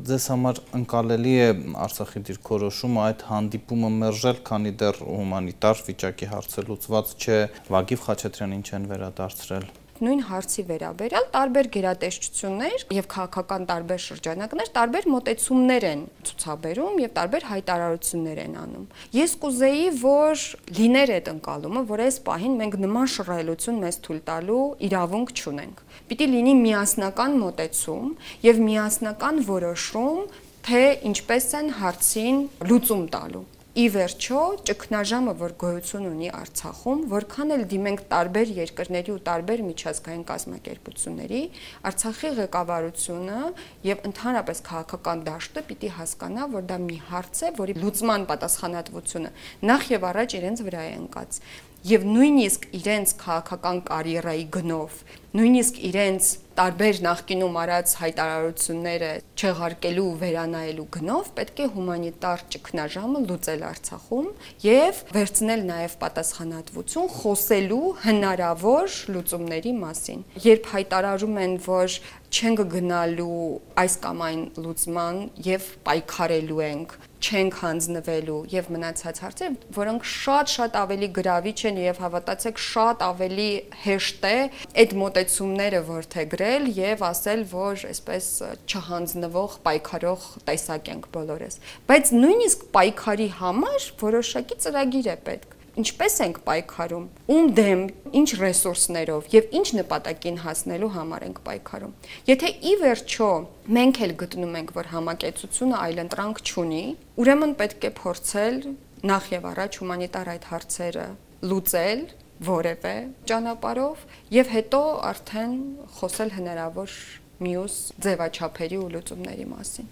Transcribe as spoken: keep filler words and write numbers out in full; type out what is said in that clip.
Ձեզ համար ընկալելի է Արցախի դիրքորոշումը այդ հանդիպումը մերժել, քանի դեռ հումանիտար վիճակի հարցը լուծված չէ, Վագիվ Խաչատրյանին չեն վերադարձրել։ Նույն հարցի վերաբերյալ տարբեր գերատեսչություններ եւ քաղաքական տարբեր շրջանակներ տարբեր մոտեցումներ են ցուցաբերում եւ տարբեր հայտարարություններ են անում։ Ես կուզեի, որ լիներ այդ ընկալումը, որ այս պահին մենք նման շռայլություն մեզ թույլ տալու իրավունք չունենք։ Պիտի լինի միասնական մոտեցում եւ միասնական որոշում, թե ինչպես են հարցին լուծում տալու։ Ի վերջո, ճգնաժամը, որ գոյություն ունի Արցախում, որքան էլ դիմենք տարբեր երկրների ու տարբեր միջազգային կազմակերպությունների, Արցախի ղեկավարությունը եւ ընդհանրապես քաղաքական դաշտը պիտի հասկանա, որ դա մի հարց է, որի լուծման պատասխանատվությունը նախ եւ առաջ իրենց վրա է ընկած։ Եվ նույնիսկ իրենց քաղաքական կարիերայի գնով, նույնիսկ իրենց տարբեր նախկինում արած հայտարարությունները չեղարկելու ու վերանայելու գնով պետք է հումանիտար ճգնաժամը լուծել Արցախում եւ վերցնել նաեւ պատասխանատվություն խոսելու հնարավոր լուծումների մասին։ Երբ հայտարարում են, որ չենք գնալու այս կամ այն լուծման եւ պայքարելու ենք, չենք հանձնվելու եւ մնացած հարցեր, որոնք շատ-շատ ավելի գրավիչ են եւ հավատացեք շատ ավելի հեշտ է այդ մոտեցումները որդեգրել եւ ասել, որ այսպես չհանձնվող պայքարող տեսակ ենք բոլորս։ Բայց նույնիսկ պայքարի համար որոշակի ծրագիր է պետք։ Ինչպես ենք պայքարում, ում դեմ, ինչ ռեսուրսներով եւ ինչ նպատակին հասնելու համար ենք պայքարում։ Եթե ի վերջո մենք էլ գտնում ենք, որ համակեցությունը այլընտրանք չունի, ուրեմն պետք է փորձել նախ եւ առաջ հումանիտար այդ հարցերը լուծել որևէ ճանապարհով եւ հետո արդեն խոսել հնարավոր մյուս ձևաչափերի ու լուծումների մասին։